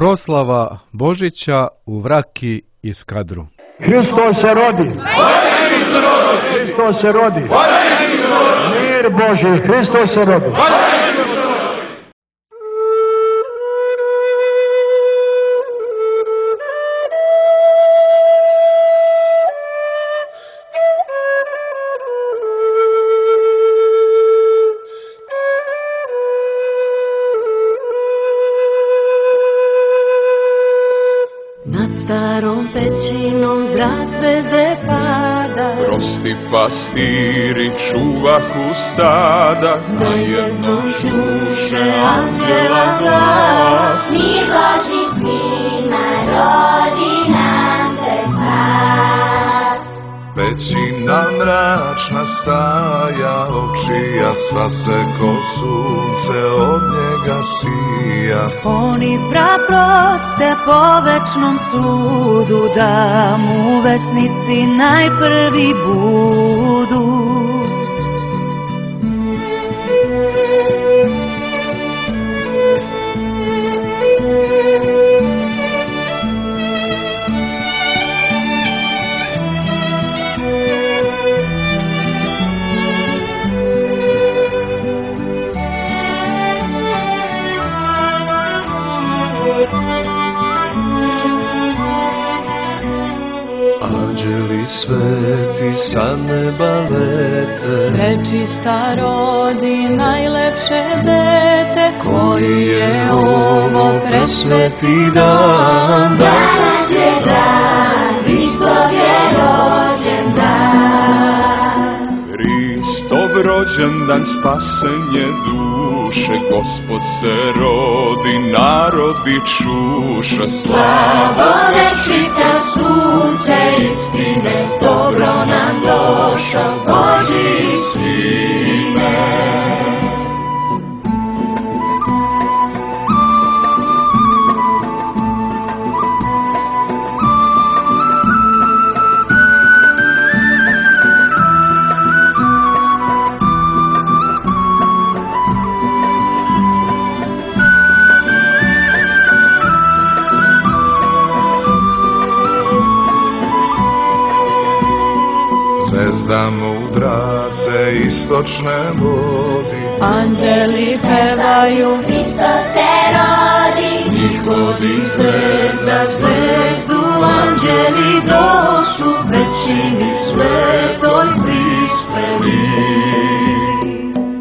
Proslava Božića u Vraki i Skadru. Hristos se rodi. Hristos se rodi. Mir Božji, Hristos se rodi. Starom pećinom zrak zvezde pada, prosti pastiri čuvahu stada, na jednom čuše anđela glas. Mir Božji svima rodi nam se spas. Pećina mračna staja, očija sva se ko sunce od njega sija. Oni praproste po večnom sudu, da mu vesnici najprvi budu. Anđeli sveti sa neba lete, Prečista rodi najlepše dete, koji je ovo presveti dan. Danas je dan, Hristov je rođen dan. Hristov rođendan, spasenje duše, Gospod se rodi, narodi čuše. Slavo večita sunce istine, dobro nam došao Božji sine. Zvezda mudra se istočne vodi, Anđeli pevaju, Hristos se rodi. ishodi zvezda zvezdu, anđeli došu, većini svetoj prispeli.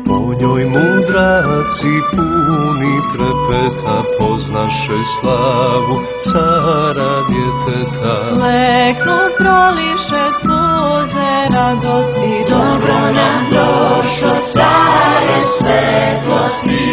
po njoj mudraci puni trepeta, poznaše slavu cara djeteta. Leknu proliše suze radosti, Dobro nam došao care svetlosti.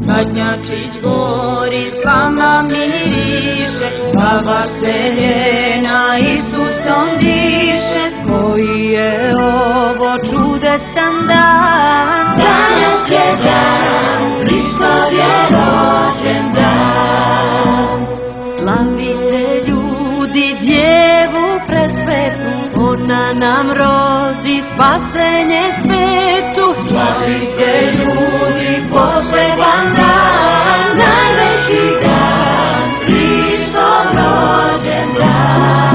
Kadnjačić gori, slama miriše, baba se njena Isusom diše, koji je ovo čudesan dan. Danas je dan, Hristov je rođen dan. Slavite ljudi djevu presvetu, ona nam rodi spasenje svetu. Slavite ljudi poseban dan, najveći dan, Hristov rođen dan.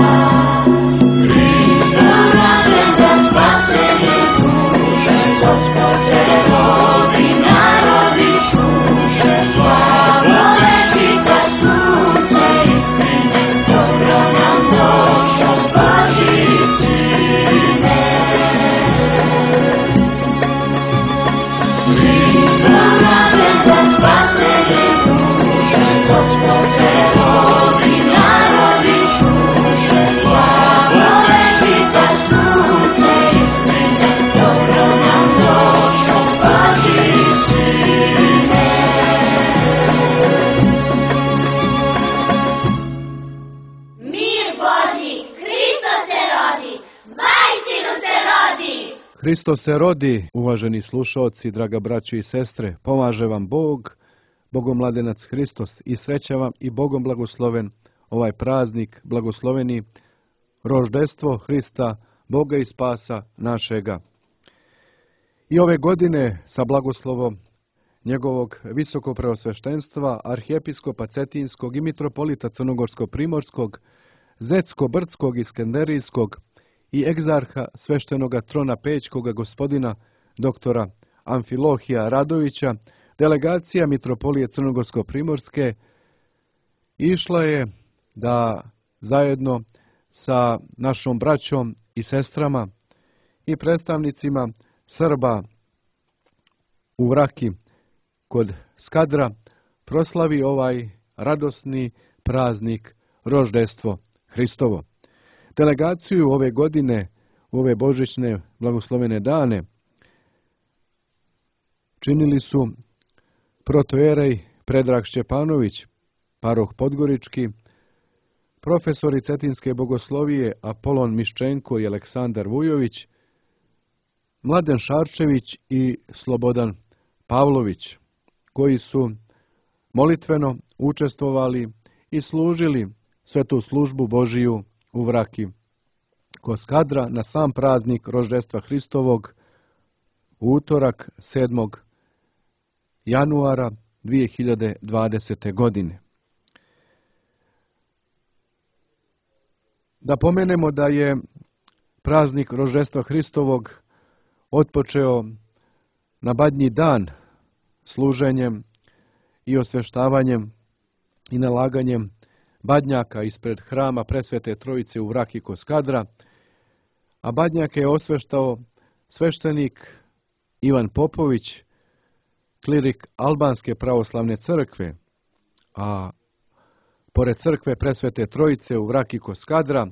Hristov rođen dan, spasenje duše, Gospod se rodi, narodi čuše. Slavo večita sunce istine, dobro nam došao Božji sine. Hristos se rodi, uvaženi slušaoci, draga braćo i sestre, pomaže vam Bog, Bogomladenac Hristos i sreća vam i Bogom blagosloven ovaj praznik, blagosloveni roždestvo Hrista, Boga i spasa našega. I ove godine sa blagoslovom njegovog visokopreosveštenstva, arhijepiskopa Cetinskog i mitropolita Crnogorsko-primorskog, Zetsko-brdskog i Skenderijskog i egzarha sveštenoga trona Pećkoga gospodina doktora Amfilohija Radovića, delegacija mitropolije Crnogorsko-primorske išla je da zajedno sa našom braćom i sestrama i predstavnicima Srba u Vraki kod Skadra proslavi ovaj radosni praznik roždestvo Hristovo. Delegaciju ove godine, u ove božićne blagoslovene dane, činili su protojerej Predrag Šćepanović, paroh Podgorički, profesori Cetinske bogoslovije Apolon Miščenko i Aleksandar Vujović, Mladen Šarčević i Slobodan Pavlović, koji su molitveno učestvovali i služili svetu službu Božiju u Vraki kod Skadra na sam praznik roždestva Hristovog u utorak 7. januara 2020. godine. Da pomenemo da je praznik roždestva Hristovog otpočeo na Badnji dan služenjem i osveštavanjem i nalaganjem badnjaka ispred hrama Presvete Trojice u Vraki kod Skadra, a badnjake je osveštao sveštenik Ivan Popović, klirik Albanske pravoslavne crkve, a pored crkve Presvete Trojice u Vraki kod Skadra,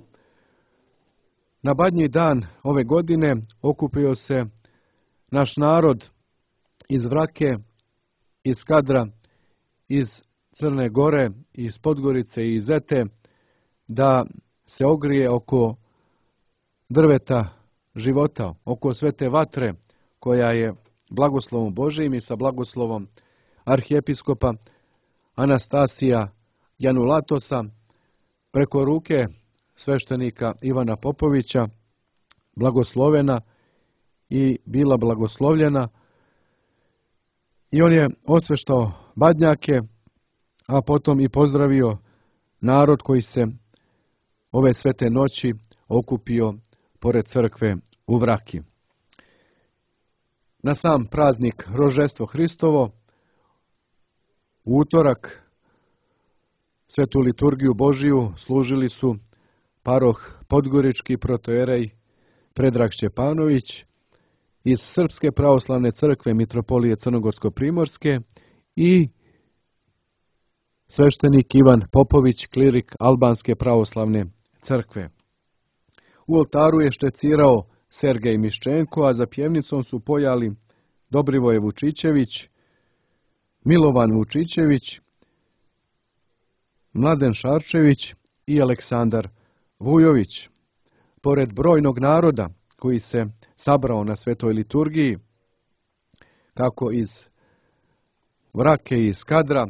na Badnji dan ove godine okupio se naš narod iz Vrake, iz Skadra, iz Crne Gore, iz Podgorice i iz Zete, da se ogrije oko drveta života, oko svete vatre koja je blagoslovom Božijim i sa blagoslovom arhijepiskopa Anastasija Janulatosa preko ruke sveštenika Ivana Popovića blagoslovena i bila blagoslovljena, i on je osveštao badnjake, a potom i pozdravio narod koji se ove svete noći okupio pored crkve u Vraki. Na sam praznik roždestvo Hristovo u utorak svetu liturgiju Božiju služili su paroh Podgorički protojerej Predrag Šćepanović iz Srpske pravoslavne crkve mitropolije Crnogorsko-primorske i sveštenik Ivan Popović, klirik Albanske pravoslavne crkve. U oltaru je štecirao Sergej Miščenko, a za pjevnicom su pojali Dobrivoje Vučićević, Milovan Vučićević, Mladen Šarčević i Aleksandar Vujović. Pored brojnog naroda koji se sabrao na svetoj liturgiji, kako iz Vrake i iz Skadra,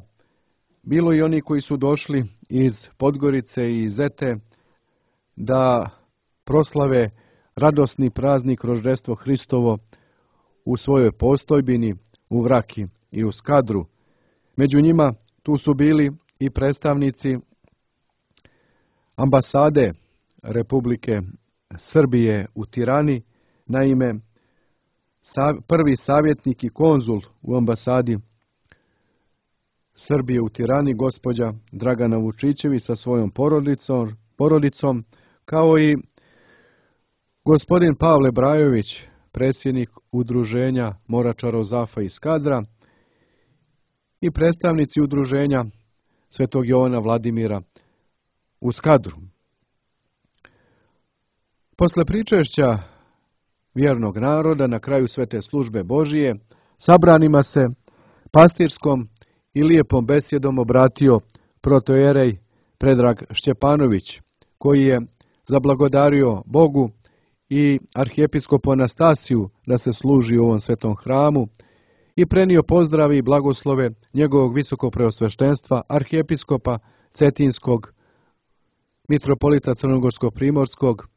bilo i oni koji su došli iz Podgorice i Zete da proslave radosni praznik roždestvo Hristovo u svojoj postojbini u Vraki i u Skadru. Među njima tu su bili i predstavnici ambasade Republike Srbije u Tirani, naime prvi savjetnik i konzul u ambasadi Srbije u Tirani, gospođa Dragana Vučićević sa svojom porodicom, kao i gospodin Pavle Brajović, predsjednik udruženja Moračarov Zafa iz Skadra, i predstavnici udruženja Svetog Jovana Vladimira u Skadru. Posle pričešća vjernog naroda na kraju svete službe Božije, sabranima se pastirskom i lijepom besjedom obratio protojerej Predrag Šćepanović, koji je zablagodario Bogu i arhijepiskopu Anastasiju da se služi u ovom svetom hramu i prenio pozdravi i blagoslove njegovog visokopreosveštenstva arhijepiskopa Cetinskog, mitropolita Crnogorsko-primorskog,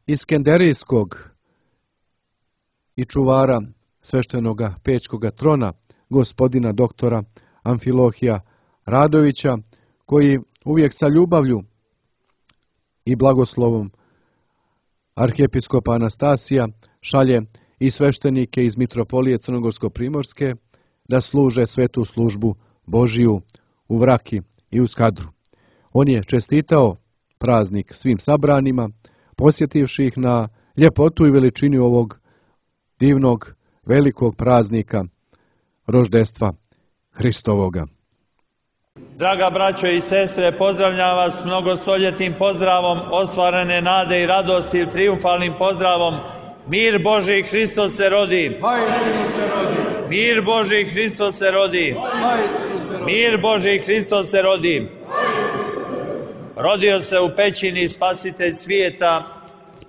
Iskenderijskog i čuvara sveštenoga Pećkoga trona, gospodina doktora Amfilohija Radovića, koji uvijek sa ljubavlju i blagoslovom arhijepiskopa Anastasija šalje i sveštenike iz mitropolije Crnogorsko-primorske da služe svetu službu Božiju u Vraki i u Skadru. On je čestitao praznik svim sabranima, posjetivši ih na ljepotu i veličinu ovog divnog, velikog praznika roždestva Hristovoga. Draga braćo i sestre, pozdravljam vas mnogostoljetnim pozdravom ostvarene nade i radosti, trijumfalnim pozdravom. Mir Božji, Hristos se rodi. Mir Božji, Hristos se rodi. Mir Božji, Hristos se rodi. Rodio se u pećini Spasitelj svijeta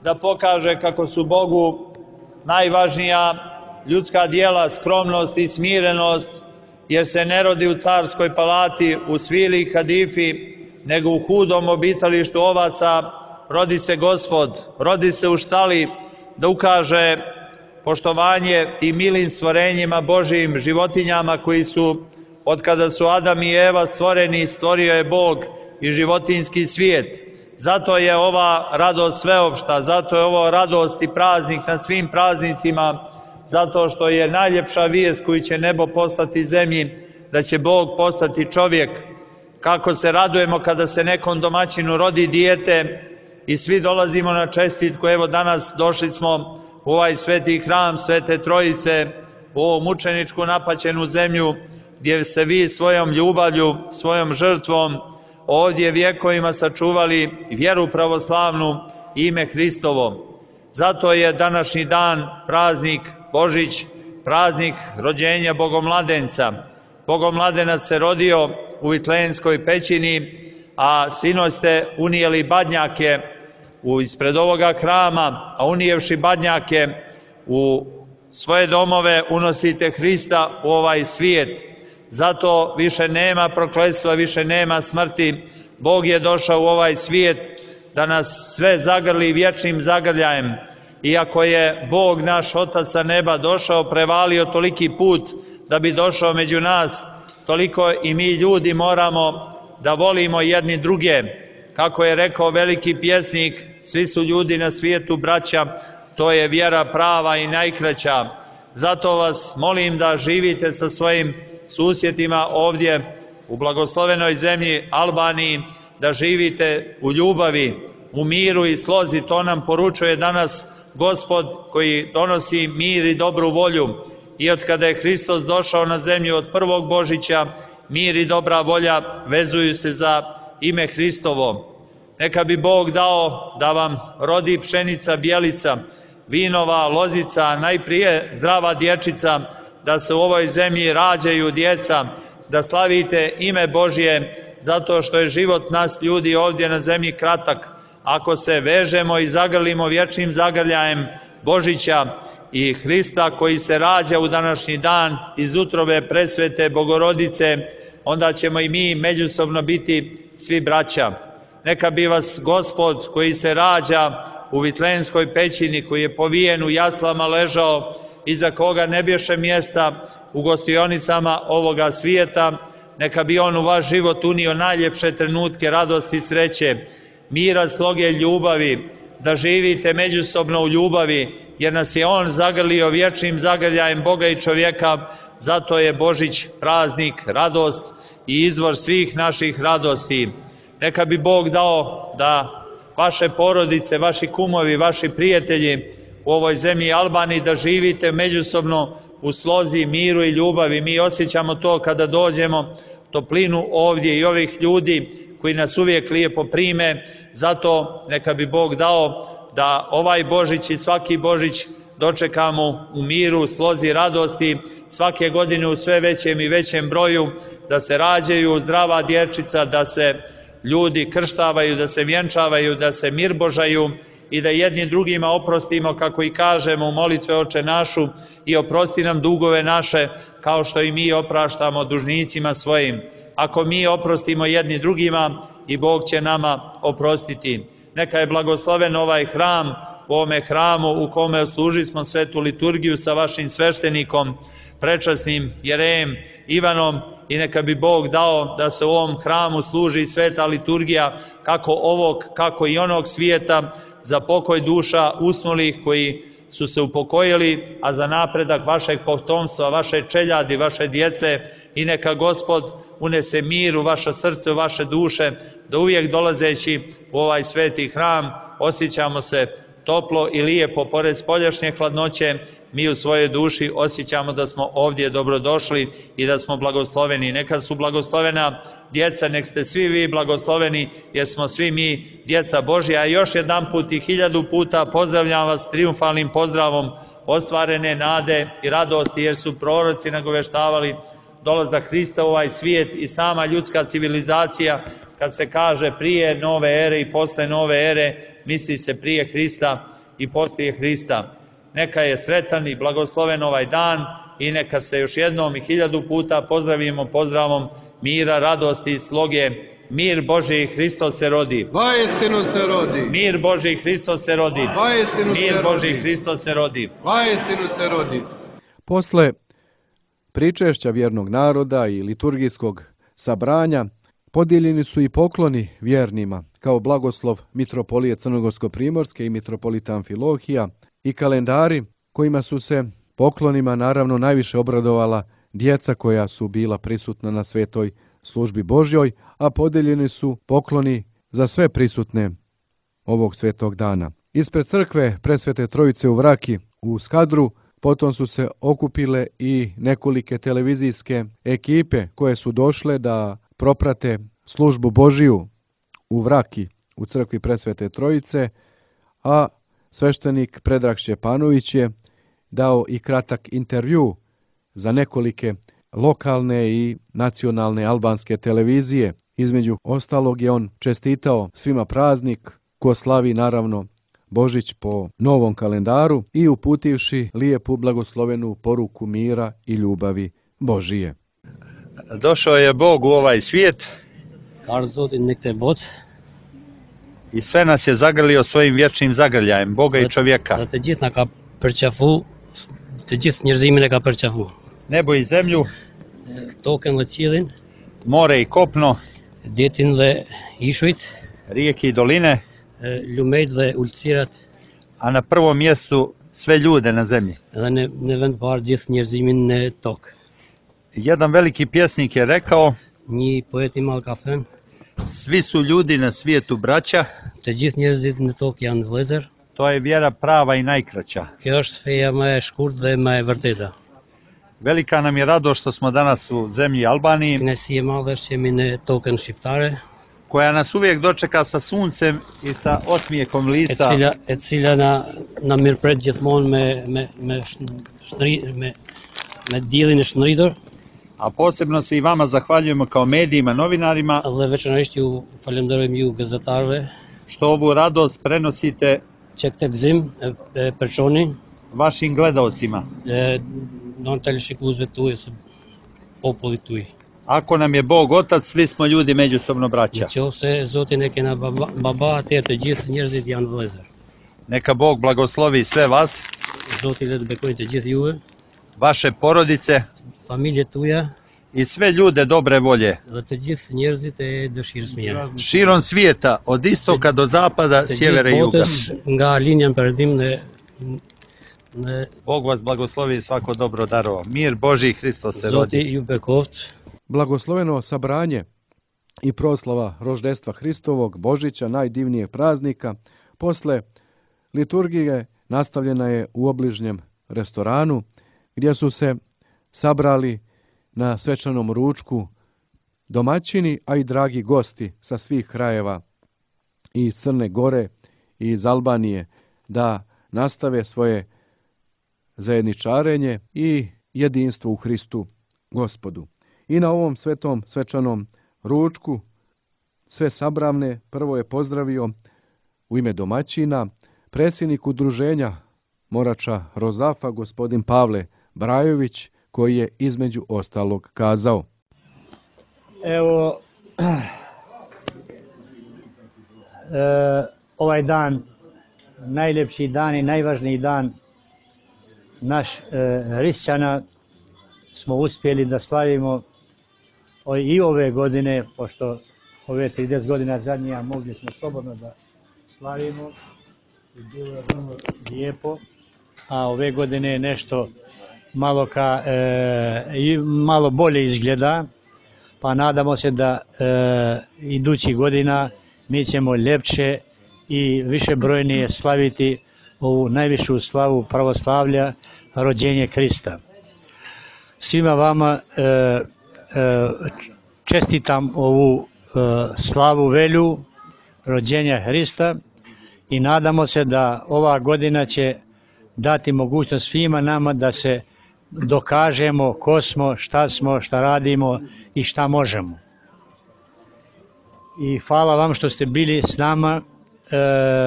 da pokaže kako su Bogu najvažnija ljudska djela, skromnost i smirenost, jer se ne rodi u carskoj palati, u svili i kadifi, nego u hudom obitalištu ovaca. Rodi se Gospod, rodi se u štali da ukaže poštovanje i milim stvorenjima Božijim, životinjama koji su, od kada su Adam i Eva stvoreni, stvorio je Bog i životinjski svijet. Zato je ova radost sveopšta, zato je ovo radost i praznik na svim praznicima, zato što je najljepša vijest koju će nebo postati zemlji, da će Bog postati čovjek. Kako se radujemo kada se nekom domaćinu rodi dijete i svi dolazimo na čestitku. Evo danas došli smo u ovaj sveti hram Svete Trojice, u ovu mučeničku napaćenu zemlju, gdje ste vi svojom ljubavlju, svojom žrtvom ovdje vjekovima sačuvali vjeru pravoslavnu i ime Hristovo. Zato je današnji dan praznik Božić, praznik rođenja Bogomladenca. Bogomladenac se rodio u Vitlejemskoj pećini, a sinoć ste unijeli badnjake ispred ovoga hrama, a unijevši badnjake u svoje domove unosite Hrista u ovaj svijet. Zato više nema prokletstva, više nema smrti. Bog je došao u ovaj svijet da nas sve zagrli vječnim zagrljajem. Iako je Bog naš Otac sa neba došao, prevalio toliki put da bi došao među nas, toliko i mi ljudi moramo da volimo jedni druge. Kako je rekao veliki pjesnik, svi su ljudi na svijetu braća, to je vjera prava i najkraća. Zato vas molim da živite sa svojim susjedima ovdje u blagoslovenoj zemlji Albaniji, da živite u ljubavi, u miru i slozi. To nam poručuje danas Gospod koji donosi mir i dobru volju. I od kada je Hristos došao na zemlju od prvog Božića, mir i dobra volja vezuju se za ime Hristovo. Neka bi Bog dao da vam rodi pšenica bijelica, vinova lozica, najprije zdrava dječica, da se u ovoj zemlji rađaju djeca, da slavite ime Božje, zato što je život nas ljudi ovdje na zemlji kratak. Ako se vežemo i zagrlimo vječnim zagrljajem Božića i Hrista koji se rađa u današnji dan iz utrobe presvete Bogorodice, onda ćemo i mi međusobno biti svi braća. Neka bi vas Gospod koji se rađa u Vitlejemskoj pećini, koji je povijen u jaslama ležao, iza koga ne bješe mjesta u gostionicama ovoga svijeta, neka bi on u vaš život unio najljepše trenutke radosti i sreće, mira, sloge, ljubavi, da živite međusobno u ljubavi, jer nas je on zagrlio vječnim zagrljajem Boga i čovjeka. Zato je Božić praznik, radost i izvor svih naših radosti. Neka bi Bog dao da vaše porodice, vaši kumovi, vaši prijatelji u ovoj zemlji Albaniji, da živite međusobno u slozi, miru i ljubavi. Mi osjećamo to kada dođemo, toplinu ovdje i ovih ljudi koji nas uvijek lijepo prime. Zato neka bi Bog dao da ovaj Božić i svaki Božić dočekamo u miru, slozi, radosti, svake godine u sve većem i većem broju, da se rađaju zdrava dječica, da se ljudi krštavaju, da se vjenčavaju, da se mirbožaju i da jednim drugima oprostimo, kako i kažemo u molitve Oče našu, i oprosti nam dugove naše, kao što i mi opraštamo dužnicima svojim. Ako mi oprostimo jedni drugima, i Bog će nama oprostiti. Neka je blagosloven ovaj hram, u ovome hramu u kome služili smo svetu liturgiju sa vašim sveštenikom, prečasnim jerejem Ivanom, i neka bi Bog dao da se u ovom hramu služi sveta liturgija, kako ovog, kako i onog svijeta, za pokoj duša usnulih koji su se upokojili, a za napredak vašeg potomstva, vaše čeljadi, vaše djece, i neka Gospod unese mir u vaše srce, u vaše duše, da uvijek dolazeći u ovaj sveti hram osjećamo se toplo i lijepo, pored spoljašnje hladnoće, mi u svojoj duši osjećamo da smo ovdje dobrodošli i da smo blagosloveni. Neka su blagoslovena djeca, nek ste svi vi blagosloveni, jer smo svi mi djeca Božja. A još jedan put i 1000 puta pozdravljam vas triumfalnim pozdravom ostvarene nade i radosti, jer su proroci nagoveštavali dolazak Hrista u ovaj svijet, i sama ljudska civilizacija, kad se kaže prije nove ere i posle nove ere, misli se prije Hrista i poslije Hrista. Neka je sretan i blagosloven ovaj dan, i neka se još jednom i 1000 puta pozdravimo pozdravom mira, radosti i sloge. Mir Božji, Hristos se rodi. Vaistinu se rodi. Mir Božji, Hristos se rodi. Vaistinu se Mir rodi. Božji, Hristos se rodi. Vaistinu se rodi. Posle pričešća vjernog naroda i liturgijskog sabranja, podijeljeni su i pokloni vjernima, kao blagoslov mitropolije Crnogorsko-primorske i mitropolita Amfilohija, i kalendari kojima su se poklonima naravno najviše obradovala djeca koja su bila prisutna na svetoj službi Božjoj, a podijeljeni su pokloni za sve prisutne ovog svetog dana. Ispred crkve Presvete Trojice u Vraki u Skadru potom su se okupile i nekolike televizijske ekipe koje su došle da proprate službu Božiju u Vraki u crkvi Presvete Trojice, a sveštenik Predrag Šćepanović je dao i kratak intervju za nekolike lokalne i nacionalne albanske televizije. Između ostalog je on čestitao svima praznik, ko slavi naravno Božić po novom kalendaru, i uputivši lijepu blagoslovenu poruku mira i ljubavi Božije. Došao je Bog u ovaj svijet i sve nas je zagrlio svojim vječnim zagrljajem, Boga i čovjeka. Dhe të gjithë na ka përqafu, të gjithë njerëzimin e ka përqafu. Nebo i zemlju, Tokën dhe qiellin, more i kopno, detin dhe ishujt, rijeke i doline, lumejt dhe ulësirat, a na prvom mjestu sve ljude na zemlji. dhe në vend parë gjithë njerëzimin në tokë. Jedan veliki pjesnik je rekao, Një poet i madh ka thënë, svi su ljudi na svijetu braća, të gjithë njerëzit në tokë janë vëllezër. to je vjera prava i najkraća. Kjo është feja më e shkurtë dhe më e vërteta. Velika nam je radost što smo danas u zemlji Albaniji, Kënaqësi e madhe është që jemi në tokën shqiptare, koja nas uvijek dočeka sa suncem i sa osmijekom lica, e cila na mirëpret gjithmonë me diellin e shndritur, a posebno se i vama zahvaljujemo kao medijima, novinarima, dhe veçanërisht ju falenderojmë ju gazetarëve što ovu radost prenosite që këtë gëzim e përçoni vašim gledaocima. në teleshikuesve tuaj së popullit tuaj. Ako nam je Bog otac, svi smo ljudi međusobno braća. Nëse Zotin e kena baba, atëherë të gjithë njerëzit janë vëllezër. Neka Bog blagoslovi sve vas, Zoti le të bekojë të gjithë juve, vaše porodice familjet tuaja i sve ljude dobre volje. dhe të gjithë njerëzit e dëshirës mira. Širom svijeta, od istoka do zapada, Të sjevera i gjithë juga. botës nga linja në perëndim në Bog vas blagoslovi i svako dobro darova. Mir Božji, Hristos se rodi. Zoti ju bekoft. Blagosloveno sabranje i proslava roždestva Hristovog, Božića, najdivnijeg praznika, posle liturgije nastavljena je u obližnjem restoranu, gdje su se sabrali na svečanom ručku domaćini, a i dragi gosti sa svih krajeva i iz Crne Gore i iz Albanije, da nastave svoje zajedničarenje i jedinstvo u Hristu Gospodu. I na ovom svetom svečanom ručku sve sabravne prvo je pozdravio u ime domaćina predsjednik udruženja Morača Rozafa, gospodin Pavle Brajović, koji je između ostalog kazao. Evo, ovaj dan, najljepši dan i najvažniji dan naš hrišćana smo uspjeli da slavimo i ove godine, pošto ove 30 godina zadnjija mogli smo slobodno da slavimo i bilo je vrlo lijepo, a ove godine nešto malo bolje izgleda, pa nadamo se da idućih godina mi ćemo ljepše i više brojnije slaviti ovu najvišu slavu pravoslavlja, rođenje Krista. Svima vama čestitam ovu slavu velju rođenja Hrista i nadamo se da ova godina će dati mogućnost svima nama da se dokažemo ko smo, šta radimo i šta možemo. I hvala vam što ste bili s nama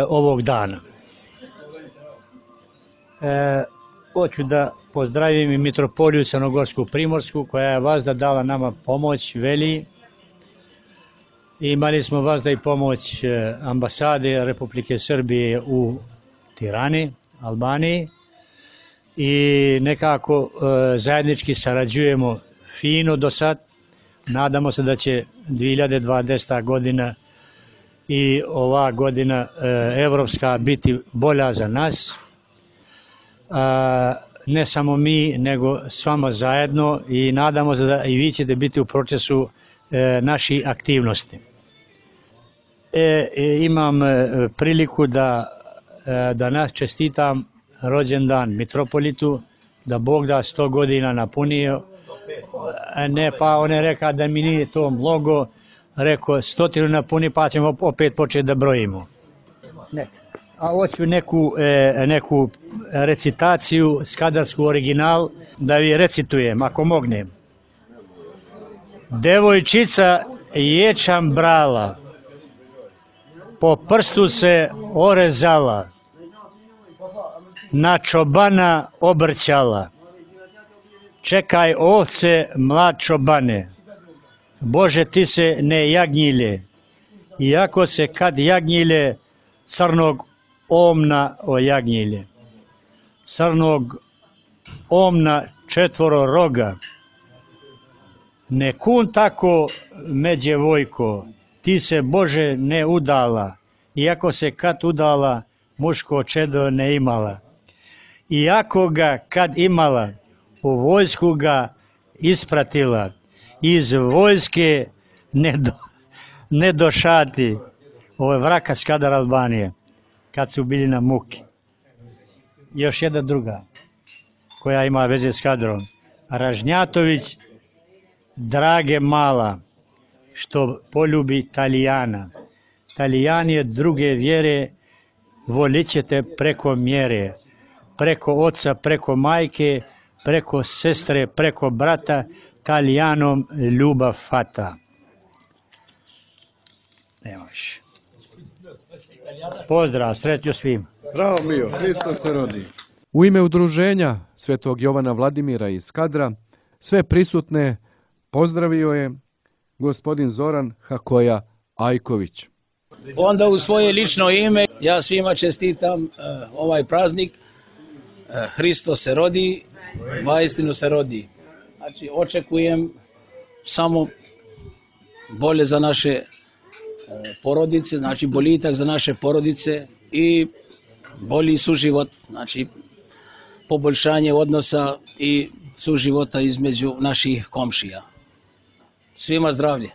ovog dana. Hoću da pozdravim i mitropoliju Crnogorsku Primorsku, koja je vazda dala nama pomoć veli. Imali smo vazda i pomoć ambasade Republike Srbije u Tirani, Albaniji, i nekako zajednički sarađujemo fino do sad. Nadamo se da će 2020. godina i ova godina evropska biti bolja za nas. Ne samo mi, nego s vama zajedno, i nadamo se da i vi ćete biti u procesu naših aktivnosti. Imam priliku da nas čestitam rođendan mitropolitu, da Bog da 100 godina napunio. Ne, pa on je rekao da mi nije to mnogo, rekao 100 napuni pa ćemo opet početi da brojimo. Ne. A hoću neku recitaciju, skadarsku original, da vi recitujem, ako mognem. Devojčica ječam brala, po prstu se orezala, na čobana obrćala. Čekaj ovce, mlad čobane, Bože ti se ne jagnjile, iako se kad jagnjile, crnog omna ojagnjile. Crnog omna 4 roga. Ne kun tako međe vojko, ti se Bože ne udala, iako se kad udala, muško čedo ne imala. Iako ga kad imala, u vojsku ga ispratila, iz vojske ne došati. Ovo je vraka Skadar Albanije, kad su bili na muki. Još jedna druga, koja ima veze s kadrom. Ražnjatović, drage mala, što poljubi Talijana. Talijan je druge vjere, volit ćete preko mjere. Preko oca, preko majke, preko sestre, preko brata, Talijanom ljubav fata. Nemaš. Pozdrav, srećo svim. Bravo Mio, Hristos se rodi. U ime udruženja Svetog Jovana Vladimira iz Skadra sve prisutne pozdravio je gospodin Zoran Hakoja Ajković. Onda u svoje lično ime ja svima čestitam ovaj praznik. Hristos se rodi, vaistinu se rodi. Znači očekujem samo bolje za naše porodice, znači boljitak za naše porodice i bolji suživot, znači poboljšanje odnosa i suživota između naših komšija. Svima zdravlje.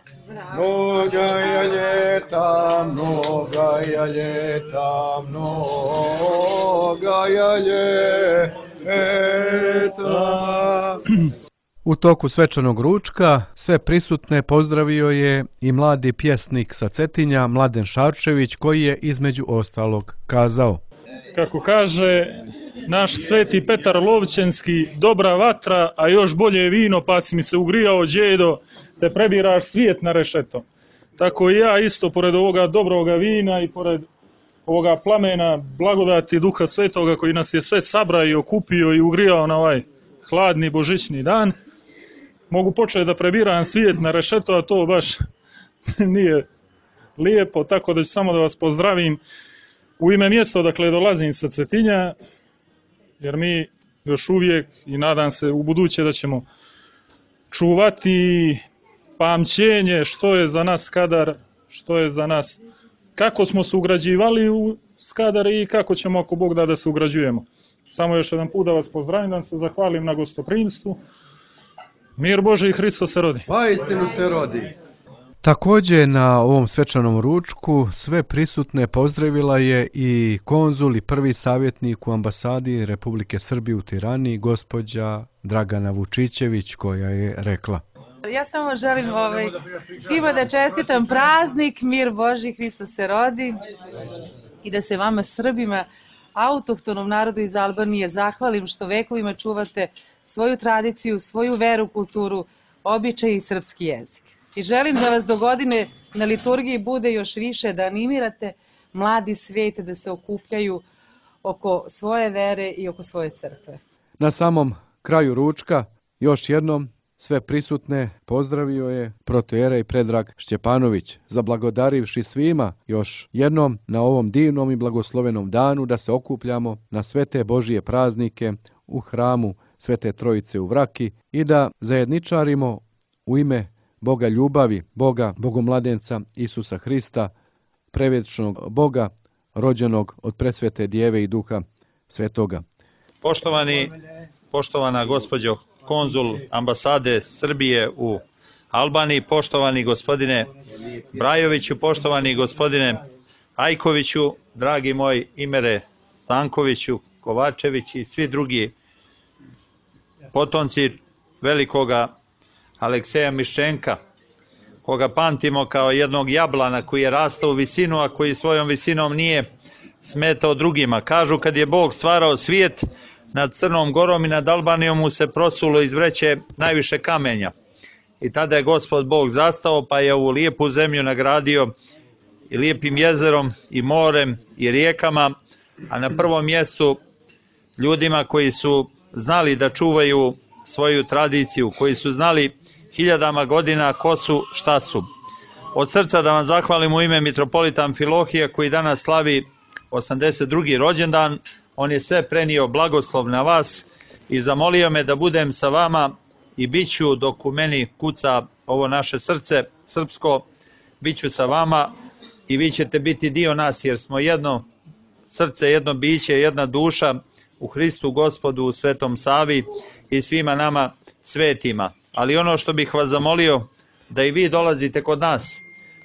Mnoga je ljeta, mnoga je ljeta, mnoga je ljeta. U toku svečanog ručka sve prisutne pozdravio je i mladi pjesnik sa Cetinja, Mladen Šarčević, koji je između ostalog kazao. Kako kaže naš sveti Petar Lovćenski, dobra vatra, a još bolje vino, pa si mi se ugrijao, djedo, te prebiraš svijet na rešeto. Tako i ja isto, pored ovoga dobroga vina i pored ovoga plamena, blagodati Duha Svetoga koji nas je sve sabrao i okupio i ugrijao na ovaj hladni božićni dan. Mogu početi da prebiram svijet na rešeto, a to baš nije lijepo, tako da ću samo da vas pozdravim u ime mjesta odakle dolazim sa Cetinja, jer mi još uvijek i nadam se u buduće da ćemo čuvati pamćenje što je za nas Skadar, što je za nas, kako smo se ugrađivali u Skadar i kako ćemo ako Bog da se ugrađujemo. Samo još jedan put da vas pozdravim, da se zahvalim na gostoprimstvu. Mir Bože i Hristo se rodi. Pa istinu se rodi. Također na ovom svečanom ručku sve prisutne pozdravila je i konzul i prvi savjetnik u ambasadi Republike Srbije u Tirani, gospođa Dragana Vučićević, koja je rekla: ja samo želim svima da čestitam praznik, mir Boži, Hristo se rodi, i da se vama Srbima, autohtonom narodu iz Albanije, zahvalim što vekovima čuvate svoju tradiciju, svoju veru, kulturu, običaj i srpski jezik. I želim da vas do godine na liturgiji bude još više, da animirate mladi svijet da se okupljaju oko svoje vere i oko svoje crkve. Na samom kraju ručka još jednom sve prisutne pozdravio je protoijerej Predrag Šćepanović, zablagodarivši svima još jednom na ovom divnom i blagoslovenom danu da se okupljamo na sve te Božije praznike u hramu Svete Trojice u Vraki i da zajedničarimo u ime Boga ljubavi, Boga Bogomladenca Isusa Hrista, prevječnog Boga, rođenog od presvete Djeve i Duha Svetoga. Poštovana gospođo konzul ambasade Srbije u Albaniji, poštovani gospodine Brajoviću, poštovani gospodine Ajkoviću, dragi moj Imere Stankoviću, Kovačević i svi drugi potomci velikoga Alekseja Miščenka, koga pamtimo kao jednog jablana koji je rastao u visinu, a koji svojom visinom nije smetao drugima. Kažu kad je Bog stvarao svijet, nad Crnom Gorom i nad Albanijom mu se prosulo iz vreće najviše kamenja. I tada je Gospod Bog zastao, pa je ovu lijepu zemlju nagradio i lijepim jezerom i morem i rijekama, a na prvom mjestu ljudima koji su znali da čuvaju svoju tradiciju, koji su znali hiljadama godina ko su, šta su. Od srca da vam zahvalim u ime mitropolita Amfilohija koji danas slavi 82. rođendan. On je sve prenio blagoslov na vas i zamolio me da budem sa vama i bit ću dok u meni kuca ovo naše srce srpsko, bit ću sa vama i vi ćete biti dio nas jer smo jedno srce, jedno biće, jedna duša u Hristu Gospodu, u Svetom Savi i svima nama svetima. Ali ono što bih vas zamolio, da i vi dolazite kod nas,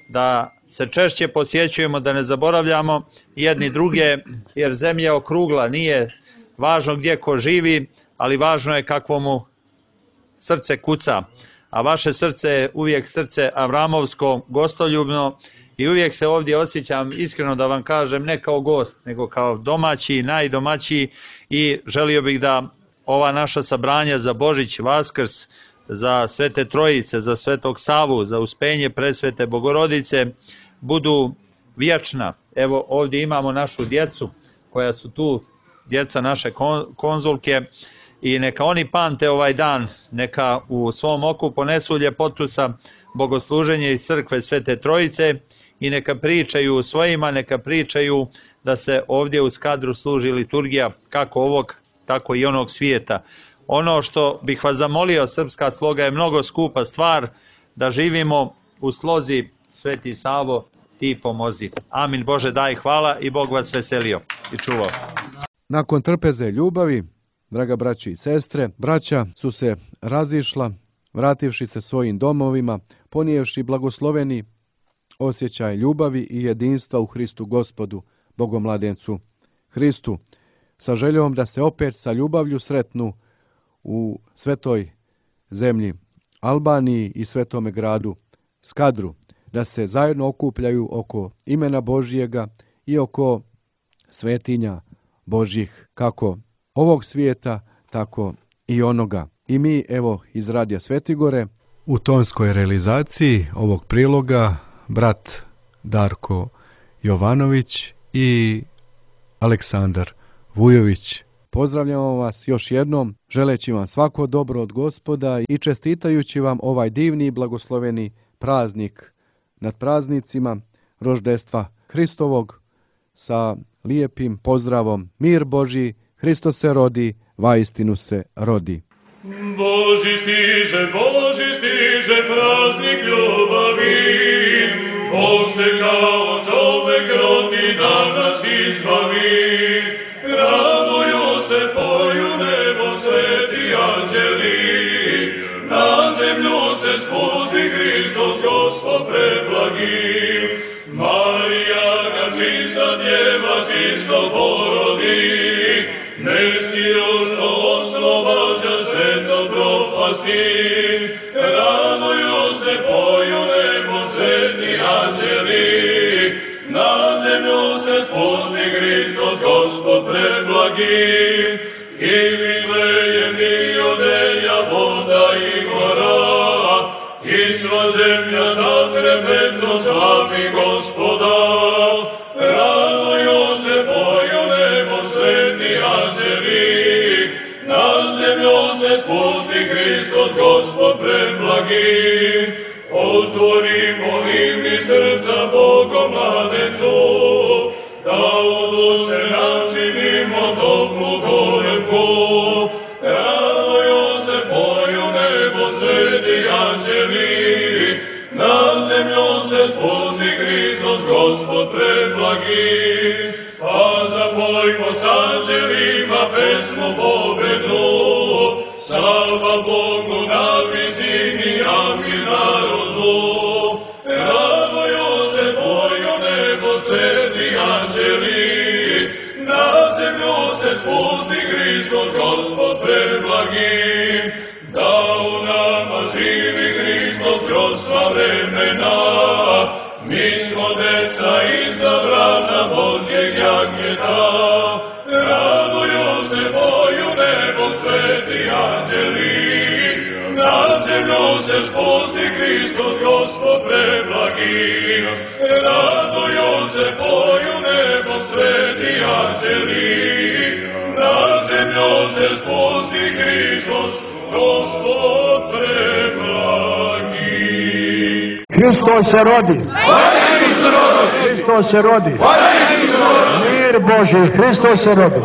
da se češće posjećujemo, da ne zaboravljamo jedni druge, jer zemlja je okrugla, nije važno gdje ko živi, ali važno je kakvo mu srce kuca. A vaše srce je uvijek srce avramovsko, gostoljubno i uvijek se ovdje osjećam, iskreno da vam kažem, ne kao gost, nego kao domaći, najdomaćiji i želio bih da ova naša sabranja za Božić, Vaskrs, za Svete Trojice, za Svetog Savu, za uspenje presvete Bogorodice budu vječna. Evo ovdje imamo našu djecu koja su tu, djeca naše konzulke, i neka oni pamte ovaj dan, neka u svom oku ponesu ljepotu sa bogosluženja iz crkve Svete Trojice i neka pričaju svojima, neka pričaju da se ovdje u Skadru služi liturgija kako ovog, tako i onog svijeta. Ono što bih vas zamolio, srpska sloga je mnogo skupa stvar, da živimo u slozi Sveti Savo, ti pomozi. Amin. Bože daj hvala i Bog vas veselio i čuvao. Nakon trpeze ljubavi, draga braći i sestre, braća su se razišla, vrativši se svojim domovima, ponijevši blagosloveni osjećaj ljubavi i jedinstva u Hristu Gospodu, Bogomladencu Hristu, sa željom da se opet sa ljubavlju sretnu u svetoj zemlji Albaniji i svetome gradu Skadru, da se zajedno okupljaju oko imena Božjega i oko svetinja Božjih, kako ovog svijeta, tako i onoga. I mi, evo, iz Radija Svetigore, u tonskoj realizaciji ovog priloga, brat Darko Jovanović i Aleksandar Vujović. Pozdravljamo vas još jednom, želeći vam svako dobro od Gospoda i čestitajući vam ovaj divni i blagosloveni praznik nad praznicima roždestva Hristovog sa lijepim pozdravom: mir Božji, Hristos se rodi, vaistinu se rodi. Boži stiže, praznik ljubavi, Bog se kao čovek rodi da nas izbavi. Raduju se, poju nebo sveti anđeli, na zemlju se spusti Hristos Gospod preblagi. Marija ga čista djeva čisto porodi, nesirušno oslobađa sveto propasti. Raduju se, poju nebo sveti anđeli, na zemlju se spusti Hristos Gospod preblagi. I Vitlejem i Judeja, voda i gora, i sva zemlja na trepetno slavi Gospoda. Raduju se, poju nebo sveti anđeli, na zemlju se spusti Hristos Gospod preblagi. Otvorimo im i srca Bogom mladencu, da u duše načinimo toplu kolevku. Raduju se, poju nebo sveti anđeli, na zemlju se spusti Hristos Gospod preblagi. Pa zapojmo s anđelima pesmu pobednu, salva Bogu na visini, amin narodu. Raduju se, poju nebo sveti anđeli, na zemlju se spusti Hristos Gospod preblagi. Da u nama živi Hristos kroz sva vremena, mi smo deca izabrana Božjeg jagnjeta. Raduju se, poju nebo sveti anđeli, na zemlju se spusti Hristos Gospod preblagi. Raduju se, poju nebo sveti anđeli, na zemlju se spusti Hristos Gospod preblagi. Hristos se rodi. Hristos se rodi. Mir Božji, Hristos se rodi.